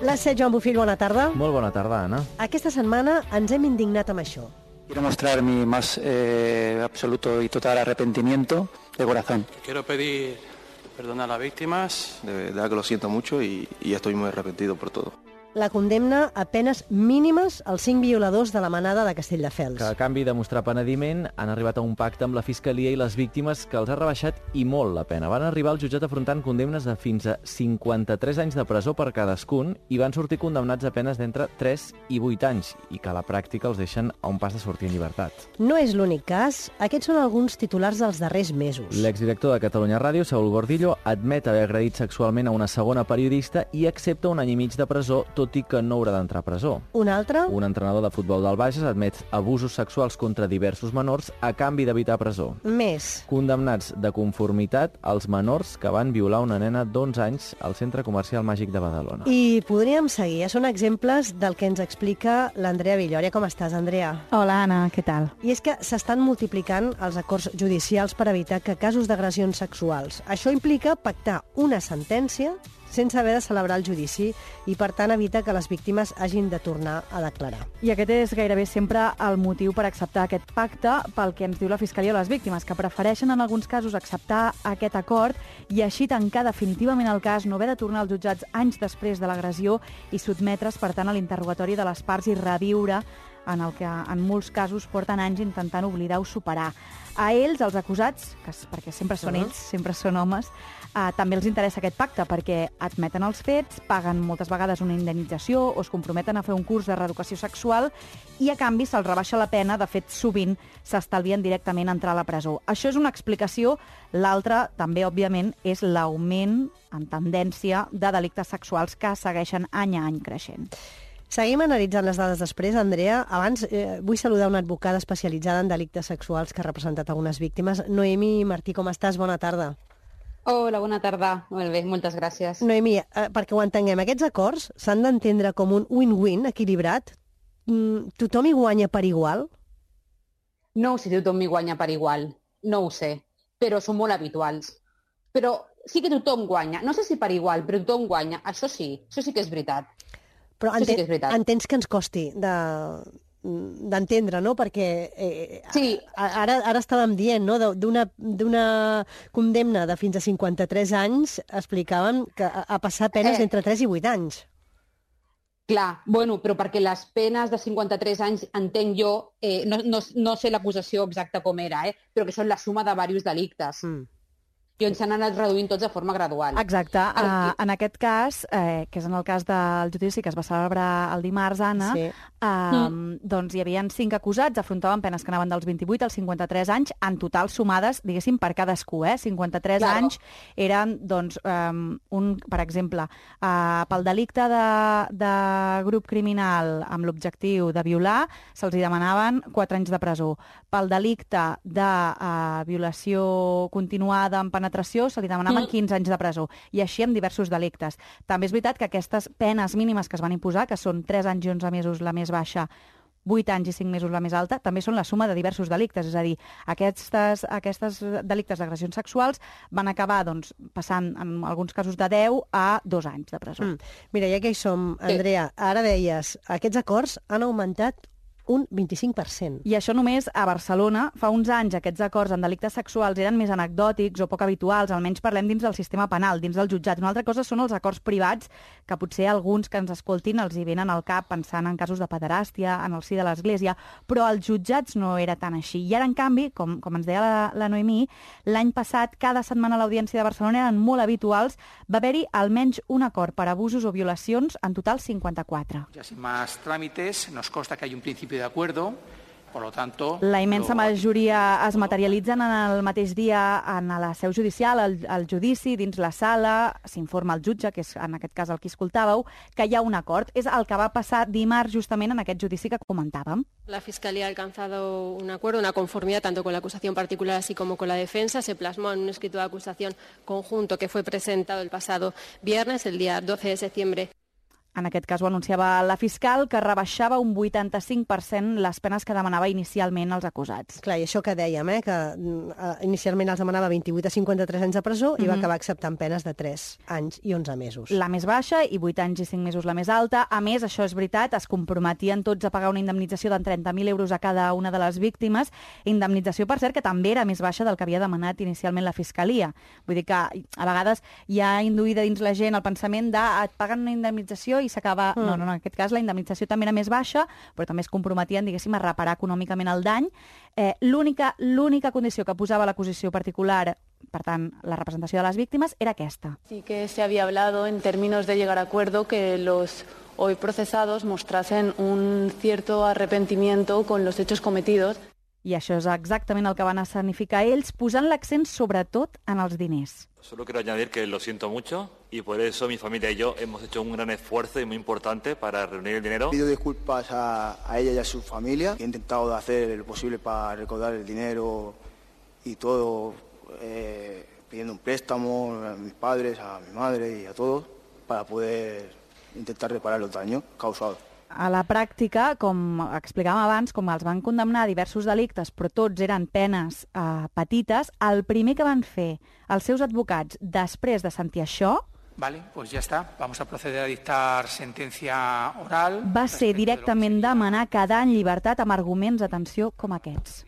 L'A7, Joan Bofill, bona tarda. Molt bona tarda, Anna. Aquesta setmana ens hem indignat amb això. Quiero mostrar mi más absoluto y total arrepentimiento de corazón. Quiero pedir perdón a las víctimas. De verdad que lo siento mucho y estoy muy arrepentido por todo. La condemna a penes mínimes als 5 violadors de la manada de Castelldefels. Que a canvi de mostrar penediment han arribat a un pacte amb la Fiscalia i les víctimes que els ha rebaixat i molt la pena. Van arribar al jutjat afrontant condemnes de fins a 53 anys de presó per cadascun i van sortir condemnats a penes d'entre 3 i 8 anys i que a la pràctica els deixen a un pas de sortir en llibertat. No és l'únic cas. Aquests són alguns titulars dels darrers mesos. L'exdirector de Catalunya Ràdio, Saúl Gordillo, admet haver agredit sexualment a una segona periodista i accepta un any i mig de presó, tot i que no haurà d'entrar a presó. Un altre? Un entrenador de futbol del Bages admet abusos sexuals contra diversos menors a canvi d'evitar presó. Més. Condemnats de conformitat als menors que van violar una nena d'11 anys al Centre Comercial Màgic de Badalona. I podríem seguir. Són exemples del que ens explica l'Andrea Villòria. Com estàs, Andrea? Hola, Anna, què tal? I és que s'estan multiplicant els acords judicials per evitar que casos d'agressions sexuals. Això implica pactar una sentència sense haver de celebrar el judici i, per tant, evita que les víctimes hagin de tornar a declarar. I aquest és gairebé sempre el motiu per acceptar aquest pacte pel que ens diu la Fiscalia a les víctimes, que prefereixen en alguns casos acceptar aquest acord i així tancar definitivament el cas, no haver de tornar als jutjats anys després de l'agressió i sotmetre's, per tant, a l'interrogatori de les parts i reviure en el que en molts casos porten anys intentant oblidar o superar. A ells, els acusats, perquè sempre són ells, sempre són homes, també els interessa aquest pacte perquè admeten els fets, paguen moltes vegades una indemnització o es comprometen a fer un curs de reeducació sexual i a canvi se'ls rebaixa la pena, de fet sovint s'estalvien directament a entrar a la presó. Això és una explicació, l'altra també òbviament és l'augment en tendència de delictes sexuals que segueixen any a any creixent. Seguim analitzant les dades després, Andrea. Abans vull saludar una advocada especialitzada en delictes sexuals que ha representat algunes víctimes. Noemi Martí, com estàs? Bona tarda. Hola, bona tarda. Molt bé, moltes gràcies. Noemi, perquè ho entenguem, aquests acords s'han d'entendre com un win-win equilibrat? Tothom hi guanya per igual? No sé si tothom hi guanya per igual, no ho sé, però són molt habituals. Però sí que tothom guanya, no sé si per igual, però tothom guanya, això sí que és veritat. Però entens que ens costi d'entendre, no? Perquè sí. ara estàvem dient, no? D'una condemna de fins a 53 anys explicàvem que a passar penes d'entre 3 i 8 anys. Clar, bueno, però perquè les penes de 53 anys, entenc jo, no sé l'acusació exacta com era, però que són la suma de diversos delictes. I on s'han anat reduint tots de forma gradual. Exacte. En aquest cas, que és en el cas del judici que es va celebrar el dimarts, Anna, sí. Doncs hi havia 5 acusats, afrontaven penes que anaven dels 28 als 53 anys, en total sumades, diguéssim, per cadascú. 53 anys eren, doncs, per exemple, pel delicte de grup criminal amb l'objectiu de violar, se'ls demanaven 4 anys de presó. Pel delicte de violació continuada amb penetració se li demanaven 15 anys de presó, i així amb diversos delictes. També és veritat que aquestes penes mínimes que es van imposar, que són 3 anys i 11 mesos la més baixa, 8 anys i 5 mesos la més alta, també són la suma de diversos delictes, és a dir, aquestes delictes d'agressions sexuals van acabar passant en alguns casos de 10 a 2 anys de presó. Mira, ja que hi som, Andrea, ara deies, aquests acords han augmentat un 25%. I això només a Barcelona. Fa uns anys aquests acords en delictes sexuals eren més anecdòtics o poc habituals, almenys parlem dins del sistema penal, dins del jutjat. Una altra cosa són els acords privats, que potser alguns que ens escoltin els hi venen al cap pensant en casos de pederàstia, en el si de l'Església, però als jutjats no era tan així. I ara, en canvi, com ens deia la Noemí, l'any passat, cada setmana a l'Audiència de Barcelona eren molt habituals, va haver-hi almenys un acord per abusos o violacions, en total 54. Ja sin más trámites, nos consta que hay un principio de acuerdo, por lo tanto... La immensa majoria es materialitzen en el mateix dia en la seu judicial, el judici, dins la sala, s'informa el jutge, que és en aquest cas el que escoltàveu, que hi ha un acord. És el que va passar dimarts justament en aquest judici que comentàvem. La Fiscalía ha alcanzado un acuerdo, una conformidad tanto con la acusación particular así como con la defensa. Se plasmó en un escrito de acusación conjunto que fue presentado el pasado viernes, el día 12 de septiembre. En aquest cas ho anunciava la fiscal, que rebaixava un 85% les penes que demanava inicialment als acusats. Clar, i això que dèiem, que inicialment els demanava 28 a 53 anys de presó i va acabar acceptant penes de 3 anys i 11 mesos. La més baixa i 8 anys i 5 mesos la més alta. A més, això és veritat, es comprometien tots a pagar una indemnització de 30.000 euros a cada una de les víctimes, indemnització, per cert, que també era més baixa del que havia demanat inicialment la Fiscalia. Vull dir que a vegades hi ha induïda dins la gent el pensament de et paguen una indemnització i s'acaba... No, en aquest cas la indemnització també era més baixa, però també es comprometien, diguéssim, a reparar econòmicament el dany. L'única condició que posava l'acusació particular, per tant, la representació de les víctimes, era aquesta. Sí que se había hablado en términos de llegar a acuerdo que los hoy procesados mostrasen un cierto arrepentimiento con los hechos cometidos. I això és exactament el que van escenificar ells, posant l'accent sobretot en els diners. Solo quiero añadir que lo siento mucho y por eso mi familia y yo hemos hecho un gran esfuerzo y muy importante para reunir el dinero. Pido disculpas a ella y a su familia. He intentado hacer lo posible para recaudar el dinero y todo, pidiendo un préstamo a mis padres, a mi madre y a todos para poder intentar reparar los daños causados. A la pràctica, com explicàvem abans, com els van condemnar a diversos delictes, però tots eren penes petites, el primer que van fer els seus advocats després de sentir això... Vale, pues ya está. Vamos a proceder a dictar sentencia oral. Va ser directament demanar quedar en llibertat amb arguments, atenció, com aquests.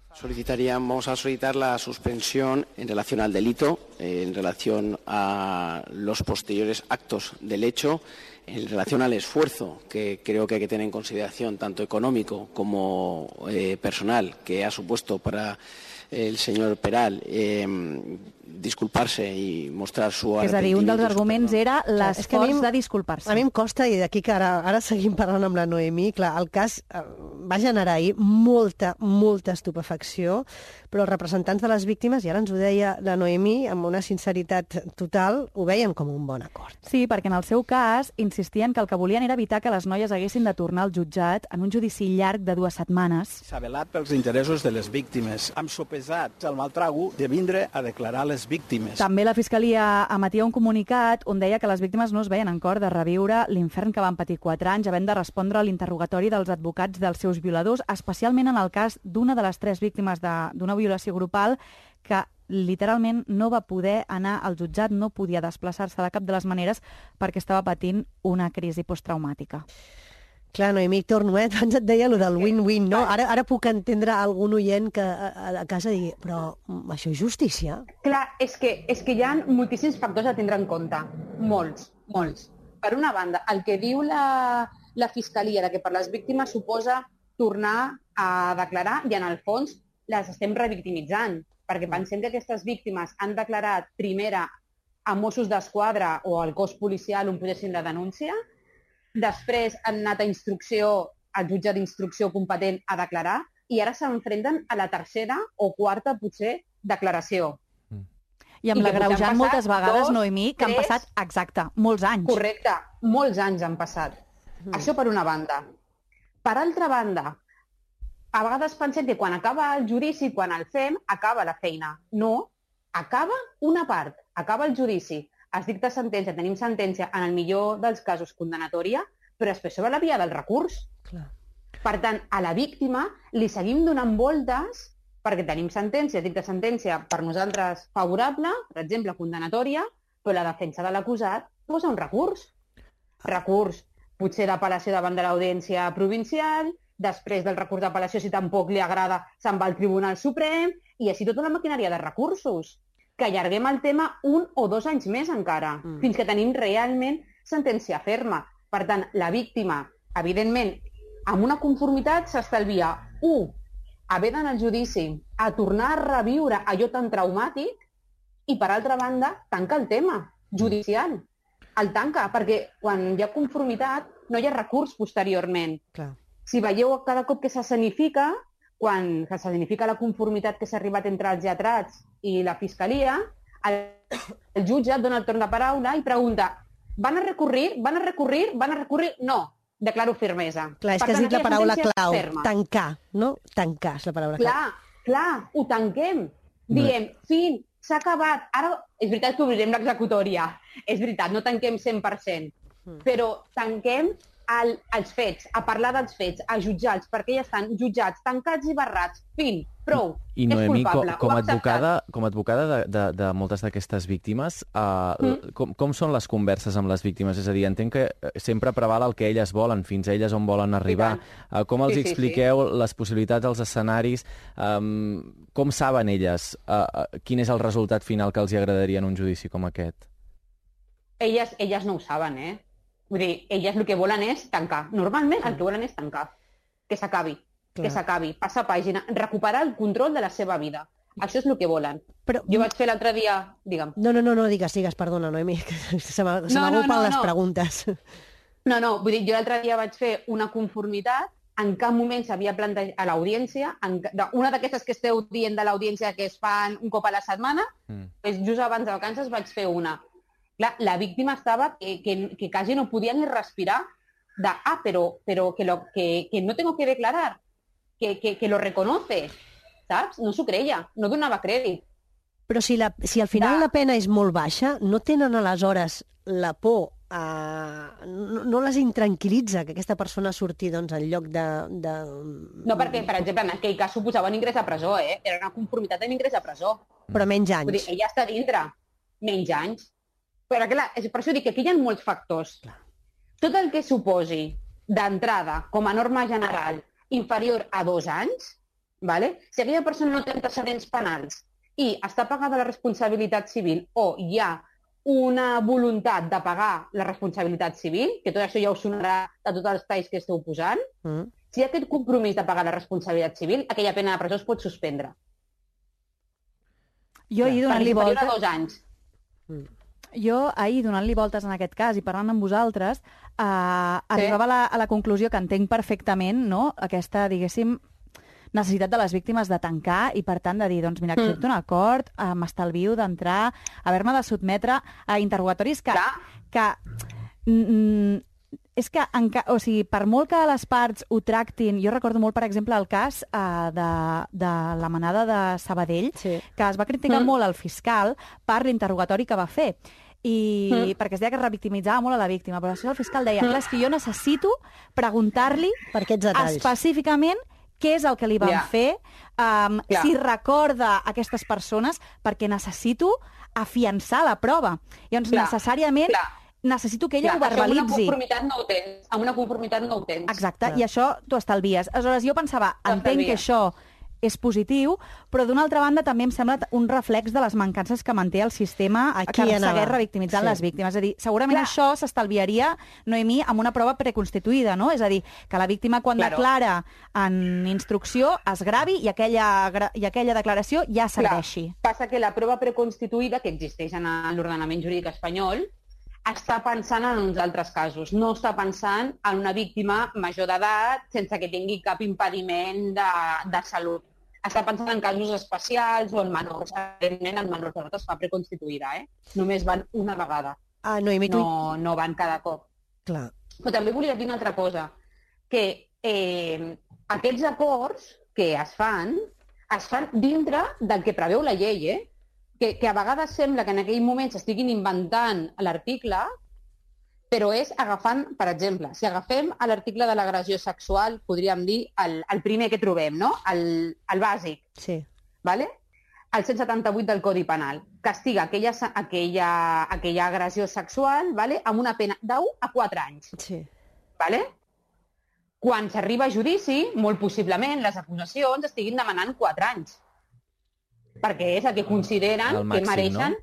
Vamos a solicitar la suspensión en relación al delito, en relación a los posteriores actos del hecho, en relación al esfuerzo que creo que hay que tener en consideración, tanto económico como personal, que ha supuesto para el señor Peral disculparse i mostrar su arrepentimiento. És a dir, un dels arguments era l'esforç de disculpar-se. A mi em costa, i d'aquí que ara seguim parlant amb la Noemí, clar, el cas va generar ahir molta estupefacció, però els representants de les víctimes, i ara ens ho deia la Noemí, amb una sinceritat total, ho veien com un bon acord. Sí, perquè en el seu cas insistien que el que volien era evitar que les noies haguessin de tornar al jutjat en un judici llarg de 2 setmanes. S'ha velat pels interessos de les víctimes. Hem sopesat el mal trago de vindre a declarar les víctimes. També la Fiscalia emetia un comunicat on deia que les víctimes no es veien en cor de reviure l'infern que van patir 4 anys havent de respondre a l'interrogatori dels advocats dels seus violadors, especialment en el cas d'una de les 3 víctimes d'una violació grupal que literalment no va poder anar al jutjat, no podia desplaçar-se de cap de les maneres perquè estava patint una crisi posttraumàtica. Clar, Noemí, torno, abans et deia allò del win-win, no? Ara puc entendre algun oient que a casa digui, però això és justícia? Clar, és que hi ha moltíssims factors a tindre en compte, molts. Per una banda, el que diu la Fiscalia, de que per les víctimes suposa tornar a declarar, i en el fons les estem revictimitzant, perquè pensem que aquestes víctimes han declarat primera a Mossos d'Esquadra o al cos policial on posessin la denúncia, després han anat a instrucció, al jutge d'instrucció competent a declarar, i ara s'enfrenten a la tercera o quarta, potser, declaració. I amb l'agreujant moltes vegades, Noemí, que han passat, exacte, molts anys. Correcte, molts anys han passat. Això per una banda. Per altra banda, a vegades pensem que quan acaba el judici, quan el fem, acaba la feina. No, acaba una part, acaba el judici. Es dicta sentència, tenim sentència, en el millor dels casos condenatòria, però després sobre la via del recurs. Clar. Per tant, a la víctima li seguim donant voltes perquè tenim sentència, dicta sentència per nosaltres favorable, per exemple, condenatòria, però la defensa de l'acusat posa un recurs. Recurs, potser d'apel·lació davant de l'audiència provincial, després del recurs d'apel·lació, si tampoc li agrada, se'n va al Tribunal Suprem, i així tota una maquinària de recursos, que allarguem el tema 1 o 2 anys més encara, fins que tenim realment sentència ferma. Per tant, la víctima, evidentment, amb una conformitat s'estalvia, 1, haver d'anar al judici, a tornar a reviure allò tan traumàtic, i per altra banda, tanca el tema judicial. El tanca, perquè quan hi ha conformitat no hi ha recurs posteriorment. Clar. Si veieu cada cop que s'escenifica, quan s'escenifica la conformitat que s'ha arribat entre els lletrats i la Fiscalia, el jutge dona el torn de paraula i pregunta: van a recurrir? No, declaro fermesa. Clar, és que has dit la paraula clau, tancar, no? Tancar és la paraula clau. Clar, ho tanquem. Diem, fin, s'ha acabat. Ara, és veritat que obrirem l'executòria. És veritat, no tanquem 100%. però tanquem els fets, a parlar dels fets, a jutjar-los, perquè ja estan jutjats, tancats i barrats. Fin, prou. I Noemí, com a advocada de moltes d'aquestes víctimes, com són les converses amb les víctimes? És a dir, entenc que sempre preval el que elles volen, fins a elles on volen arribar. Com els expliqueu les possibilitats, els escenaris? Com saben elles quin és el resultat final que els agradaria en un judici com aquest? Elles no ho saben, Vull dir, elles el que volen és tancar. Normalment el que volen és tancar. Que s'acabi. Que s'acabi. Passar pàgina. Recuperar el control de la seva vida. Això és el que volen. Jo vaig fer l'altre dia... Digue'm. No, digues, perdona, Noemí. Se m'agrupen les preguntes. No, vull dir, jo l'altre dia vaig fer una conformitat, en cap moment s'havia plantejat a l'audiència, una d'aquestes que esteu dient de l'audiència que es fan un cop a la setmana, just abans de vacances vaig fer una. Clar, la víctima estava que quasi no podia ni respirar pero que no tengo que declarar, que lo reconoce, saps? No s'ho creia, no donava crèdit. Però si al final la pena és molt baixa, no tenen aleshores la por, no les intranquil·litza que aquesta persona surti en lloc de... No, perquè, per exemple, en aquell cas suposava un ingrés a presó, Era una conformitat amb ingrés a presó. Però menys anys. Vull dir, ella està dintre. Menys anys. Però clar, per això dic que aquí hi ha molts factors. Tot el que suposi d'entrada, com a norma general, inferior a 2 anys, si aquella persona no té antecedents penals i està pagada la responsabilitat civil o hi ha una voluntat de pagar la responsabilitat civil, que tot això ja us sonarà de tots els talls que esteu posant, si hi ha aquest compromís de pagar la responsabilitat civil, aquella pena de presó es pot suspendre. Jo ahir donant-li voltes... Inferior a 2 anys. Jo ahir, donant-li voltes en aquest cas i parlant amb vosaltres, arribava a la conclusió que entenc perfectament, no?, aquesta, diguéssim, necessitat de les víctimes de tancar i, per tant, de dir, doncs, mira, accepto un acord, m'estalvio d'entrar, haver-me de sotmetre a interrogatoris que és que, o sigui, per molt que les parts ho tractin... Jo recordo molt, per exemple, el cas de la manada de Sabadell, que es va criticar molt al fiscal per l'interrogatori que va fer. Perquè es deia que revictimitzava molt a la víctima. Però això el fiscal deia, clar, és que jo necessito preguntar-li específicament què és el que li van fer, si recorda aquestes persones, perquè necessito afiançar la prova. Llavors, necessàriament... necessito que ella ho verbalitzi. Amb una conformitat no ho tens. Exacte, i això t'ho estalvies. Aleshores, jo pensava, entenc que això és positiu, però d'una altra banda també em sembla un reflex de les mancances que manté el sistema que segueix revictimitzant les víctimes. És a dir, segurament això s'estalviaria, Noemí, amb una prova preconstituïda, no? És a dir, que la víctima quan declara en instrucció es gravi i aquella declaració ja serveixi. Passa que la prova preconstituïda, que existeix en l'ordenament jurídic espanyol, està pensant en uns altres casos. No està pensant en una víctima major d'edat sense que tingui cap impediment de salut. Està pensant en casos especials o en menors. Evidentment, en menors d'edat es fa preconstituïda, Només van una vegada. No van cada cop. Clar. Però també volia dir una altra cosa, que aquests acords que es fan dintre del que preveu la llei, que a vegades sembla que en aquell moment s'estiguin inventant l'article, però és agafant, per exemple, si agafem l'article de l'agressió sexual, podríem dir el primer que trobem, no? El bàsic. Sí. Vale? El 178 del Codi Penal. Castiga aquella agressió sexual, vale? Amb una pena d'1 a 4 anys. Sí. Vale? Quan s'arriba a judici, molt possiblement les acusacions estiguin demanant 4 anys. Perquè és el que consideren que mereixen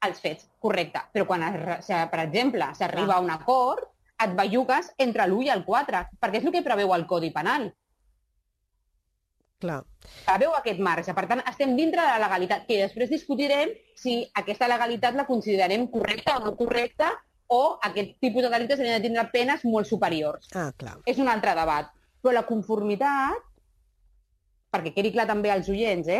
els fets. Correcte. Però quan, per exemple, s'arriba a un acord, et bellugues entre l'1 i el 4, perquè és el que preveu el Codi Penal. Clar. Preveu aquest marge. Per tant, estem dintre de la legalitat, que després discutirem si aquesta legalitat la considerem correcta o no correcta, o aquest tipus de delictes han de tindre penes molt superiors. Clar. És un altre debat. Però la conformitat, perquè quedi clar també als oients,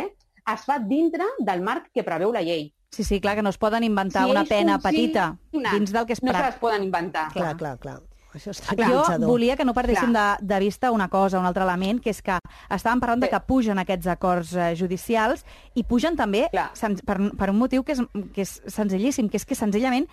es fa dintre del marc que preveu la llei. Sí, clar, que no es poden inventar una pena petita dins del que es no se les poden inventar. Clar. Això és jo volia que no perdéssim de vista una cosa, un altre element, que és que estàvem parlant de que pugen aquests acords judicials i pugen també per un motiu que és senzillíssim, que és que senzillament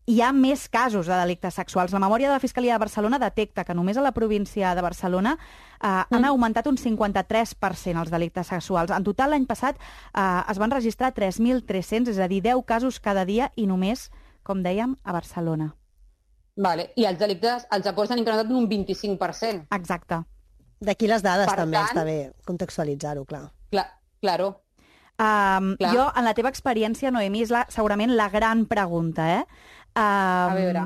hi ha més casos de delictes sexuals. La memòria de la Fiscalia de Barcelona detecta que només a la província de Barcelona han augmentat un 53% els delictes sexuals. En total, l'any passat es van registrar 3.300, és a dir, 10 casos cada dia i només, com dèiem, a Barcelona. Vale. I els delictes, els acords han incrementat un 25%. Exacte. D'aquí les dades també està bé contextualitzar-ho, clar. Claro. Jo, en la teva experiència, Noemí, és segurament la gran pregunta, a veure.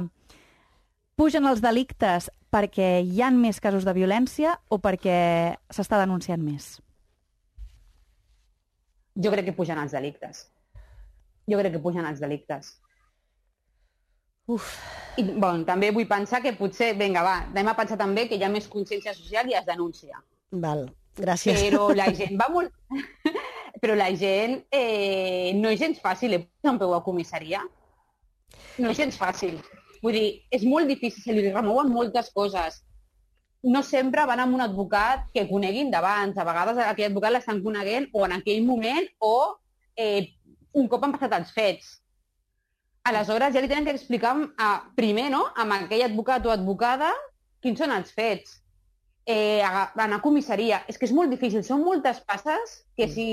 Pugen els delictes perquè hi ha més casos de violència o perquè s'està denunciant més? Jo crec que pugen els delictes. I, també vull pensar que potser, vinga, va, anem a pensar també que hi ha més consciència social i es denuncia. Val, gràcies. Però la gent va molt... Però la gent no és gens fàcil posar un peu a comissaria. No és gens fàcil. Vull dir, és molt difícil, se li remouen moltes coses. No sempre van amb un advocat que coneguin d'abans. A vegades aquell advocat l'estan coneguent o en aquell moment o un cop han passat els fets. Aleshores ja li tenen que explicar primer, no?, amb aquell advocat o advocada quins són els fets. Anar a comissaria. És que és molt difícil. Són moltes passes que si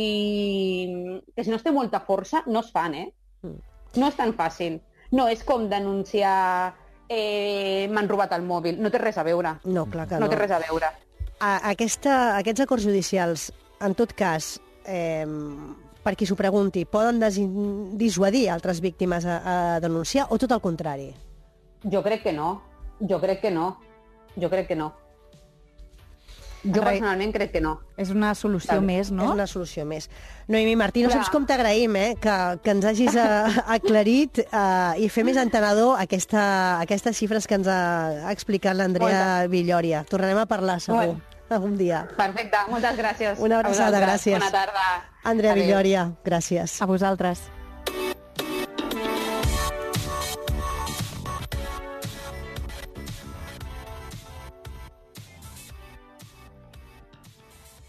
no es té molta força no es fan, No és tan fàcil. No és com denunciar m'han robat el mòbil. No té res a veure. No, clar que no. No té res a veure. Aquests acords judicials, en tot cas, per qui s'ho pregunti, poden dissuadir altres víctimes a denunciar o tot el contrari? Jo crec que no. Jo personalment crec que no. És una solució més, no? És una solució més. Noemí Martí, no saps com t'agraïm, que ens hagis aclarit i fer més entenedor aquestes xifres que ens ha explicat l'Andrea Villòria. Tornarem a parlar, segur, algun dia. Perfecte, moltes gràcies. Una abraçada, gràcies. Bona tarda. Andrea Villòria, gràcies. A vosaltres.